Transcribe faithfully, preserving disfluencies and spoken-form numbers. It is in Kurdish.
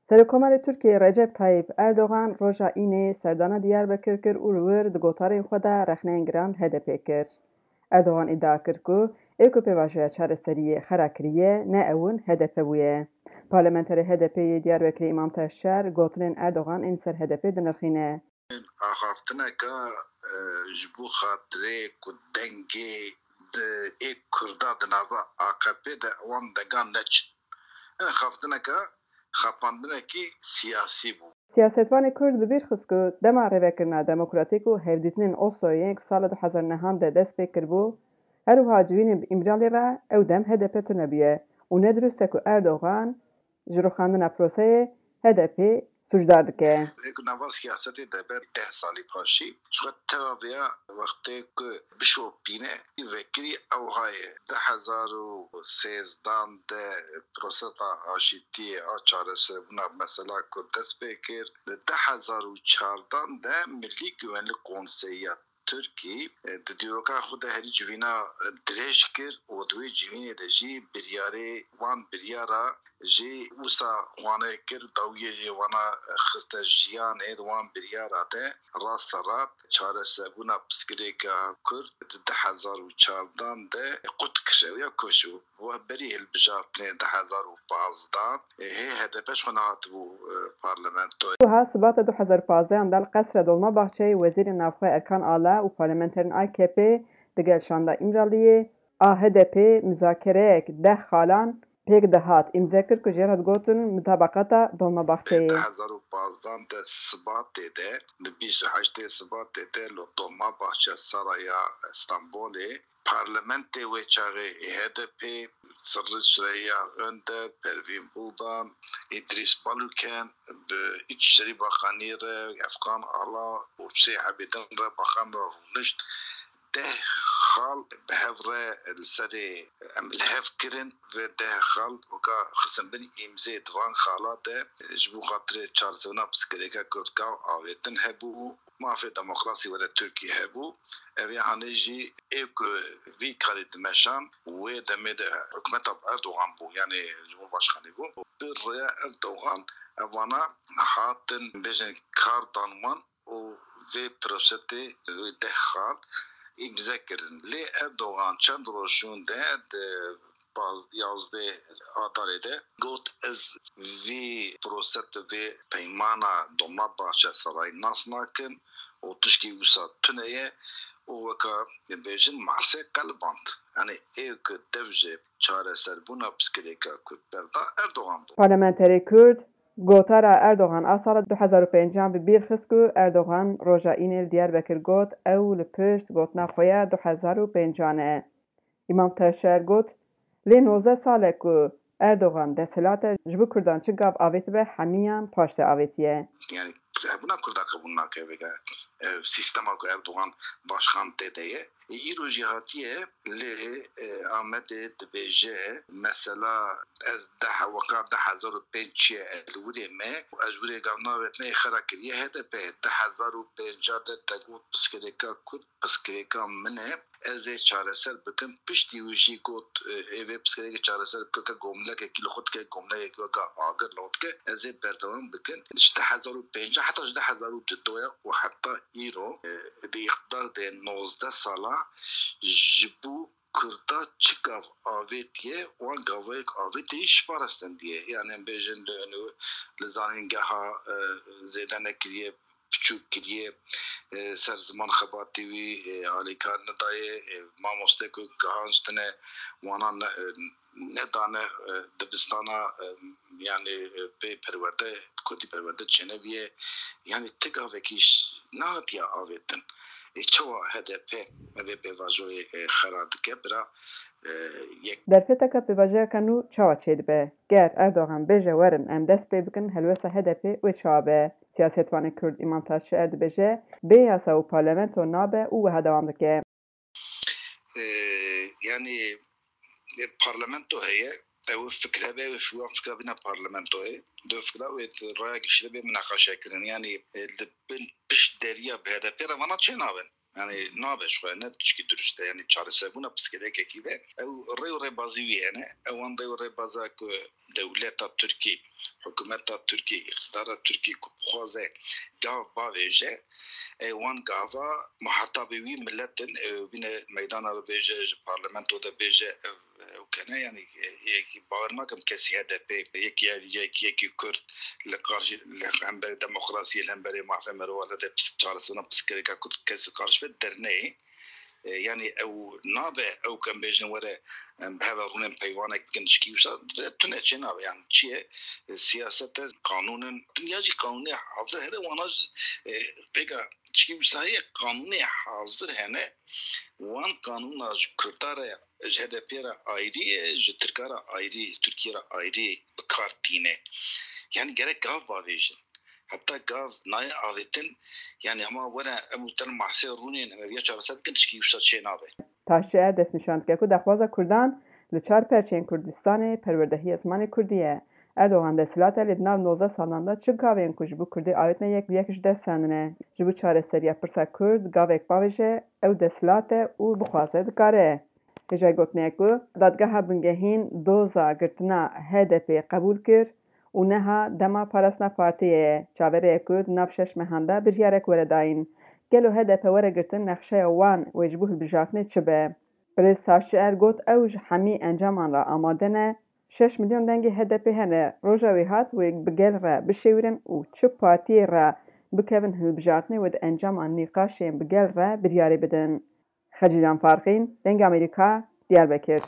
Serokkomarê Tirkiyê Recep Tayyip Erdogan roja Înê serdana Diyarbekir kir û li wir di gotarên xwe de rexneyên giran li H D P kir. Erdogan îdia kir ku ê ku pêvajoya çareseriyê xera kiriye, ne ew in H D P bûye. Parlamenterê H D P yê Diyarbekirê Îmam Taşer gotinên Erdogan ên ser H D P dinirxîne. Axaftineka e, ji bo xatirê ku dengê di ê Kurda di nava A K P de wan dengan neçin. E, xaftineka xapandinekî siyasî bû. Siyasetvanê Kurd bi bîr xist ku dema rêvekirina demokratîk û hevdîtinên Osloyê ku sala du hezar nehan de dest pê kiribû, her wiha civînên bi Îmralî re ew dem H D P tune bûye û ne dirust e ku Erdogan ji rûxandina proseyê H D P sûcdar dike. Ê ku nava siyasetê de ber deh salî paşî ji xwe teva vêya wextê ku bişopîne vekirî ew haye. Du hezar û sêzdan de prosesa aşîtiyê a çareserbûna mesela Kurd dest pê kir. Di du hezar û çardan de Milî Güvenlik Konseyi ya Tirkî e, di dîroka xwe de herî civîna e, dirêj kir û di wê civînê de jî biryarê wan biryara jî wisa xwane kir, dawiyê jê wana e, xiste jiyanê. Di wan biryara de raste rast çareserbûna pirsgirêka Kurd di du hezar û çardan de qut kir, ew ya koç bû. Weh berî hilbijartinê du hezar û pazdeh hê H D P ji xwe nehatibû e, parlamentoyê. Wiha Sibata du hezar û pazdeh de li Qesra Dolmabahçeyê Wezîrê Navxwe Erkan Ala û parlamenterên A K P digel şanda Îmraliyê a H D P muzakereyek deh xalan pêk dihat îmze kir ku jê re digotin Mutabaqata Dolmabahçeyê. Du hezar û pazdeh de Sibatê de, di bîst û heştê Sibatê de li Dolmabahçe Saraya Stenbolê Parlamentê wê çaxê H D P, Sirri Süreyya Önder, Pervîn Buldan, Îdrîs Baluken bi Îçişerî Bakanî re, Efkan Ala û Husê Ebêdin re baxan re rûnişt. Deh xal bi hev re li serê em li hev kirin ve deh xal weka xistin bin îmzê di van xala de ji bo xatirê çareserina pirsgirêka Kurd gav avêtin hebû. Mafê demokrasî were Tirkiyê hebû. Ev ya hanê jî ê ku vî karî dimeşan, wê demê de hikûmeta bi Erdogan bû, yanî Cumhurbaşkanî bû. Bi rêya Erdogan evana hatin bêjin kar dan wan û vê prosetê wê deh xal îmze kirin. Lê Erdogan çend roj şûn de di paz-, yazdeh Adarê de got, ez vî proset, vî peymana Dolmabahçe Sarayî nas nakim û tişkî wisa tune ye û weka bêjin masê qeliband. Yanî ê ku dev ji çareserbûna pirsgirêka Kurd berda Erdogan bû. Parlamenterê Kurd gotara Erdogan a sala du hezar û pêncan bi bîr xist ku Erdogan roja Înê li Diyarbekir got, ew li pişt gotina xwe ya du hezar û pêncan e. Îmam Taşer got, lê nozdeh sal e ku Erdogan desthilat e, ji bo Kurdan çi gav avêtibe hemiyan paşde avêtiye. Yanî hebûna Kurda qebûl nake vêga. Ev sîstema ku Erdogan başkan tê de ye. Îro jî hatiye lê e, Amedê dibêje mesela ez deh weka du hezar û pênc çiye ez li wirê me û ez ji wirê gav navêtime ê xera kiriye H D P. Du hezar û pênc de te got pirsgirêka Kurd pirsgirêka min e. Ez ê çareser bikim. Piştî wî jî got, e, ê vê pirsgirêkê çareser bike, ke gomlekekî li xwe dike, gomlekekî weke agir li xwe dike, ez ê berdewam bikim. Ji du hezar û pêncî heta ji du hezar û dudoya û heta îro, e, di îqtidar de nozdeh sala ji bo Kurda çi gav avêtiye, wan gavayek avêtiye jî ji parastendiye. Yani em bêjin li, li, li zanîngeha, e, zêde nekiriye, piçûk kiriye, e, ser ziman xebatî wî, e, alîkar nedayê, e, mamoste ku gihanştine wana ne, e, nedane, e, dibistana, e, yani, e, pê perwerde, kurdî perwerde çênebiye. Yani ti gavekî ş-, nehatiye avêtin. Ê çawa H D P vê pêvajoyê, e, xera dike bira, e, yek. Derfeteka pêvajoyeke nû çawa çêdibe? Ger Erdogan bêje werin em dest pê bikin helwesta H D P wê çawa be? Siyasetvanê Kurd Îmam Taşçier dibêje, bê yasa û parlamento nabe û wiha dewam dike. E, yanî e, parlamento heye, ew fikir hebe, ew wan fikra bîne parlamentoyê. Di fikra wê di raya giştî de bê minaqeşe kirin. Yanî e, li bin pişt deriya bi H D P re vana çê nabin. Yani nabe ji xwe ne tişkî dirust e. Yani çareserbûna pirsgirêkekî be ew rê û rêbazî wî hene. Ew wan rê û rêbaza ku dewleta Tirkî hikûmeta Tirkiyê, îqtidara Tirkiyê ku bixwaze gav bavêje, ê wan gava muhatabê wî milet in, ê bîne meydana re bêje, ji parlamento de bêje, ev, ew kene, yanî, e, yekî bawer nakim kesî H D P, yekî, yekî, yekî Kurd li qarşî, li hemberê demokrasiyê, li hemberê mafê mirovan, li de pis-, çaresirina pirsgirêka Kurd kesî qarşî ve derneyê. E, yanî ew nabe, ew ku em bêjin were, em bi hev re rûnên peyvanek bikin, tişkî wisa tune çê nabe. Yanî çi ye? E, siyasete, qanûn in. Dinya jî qanûnê hazir hene, wana jî, e, vêga tişkî wisa ye, qanûnê hazir hene. Wan qanûna ji Kurda re, ji H D P re ayrî ye, ji Tirka re ayrî, Tirkiye re ayrî bi kar tîne. Yanî gerek gav bavêjin. Heta gav nayê avêtin, yanî hema were em û te li mahsê rûnên, em ev ya çareser bikin, tişkî wisa çê nabe. Taşçi Er destnîşan dike ku daxwaza Kurdan li çar perçeyên Kurdistanê perwerdehiya zimanê Kurdî ye. Erdogan desthilat e, lê di nav nozdeh salan de çi gavên ku ji bo Kurdê avêtine yek bi yek ji dest stendine. Ji bo çareseriya pirsa Kurd gavek bavêje, ew desthilat e û bixwaze dikare. Hêjayî gotinê ye ku Dadgeha Bingehîn doza girtina H D P qebûl kir û niha dema parastina partiyê ye. Çaverê ye ku di nav şeş mehan de biryarek were dayîn. Gelo H D P were girtin, nexşeya wan wê ji bo hilbijartinê çi be? Birêz Taşçi Er got, ew ji hemî encaman re amade ne. Şeş milyon dengê H D P hene. Roja wê hat wê bi gel re bişêwirin û çi partiyê re bikevin hilbijartinê wê di encama nîqaşên bi gel re biryarê bidin. Xecîlan Farqîn, Dengê Amerîka, Diyarbekir.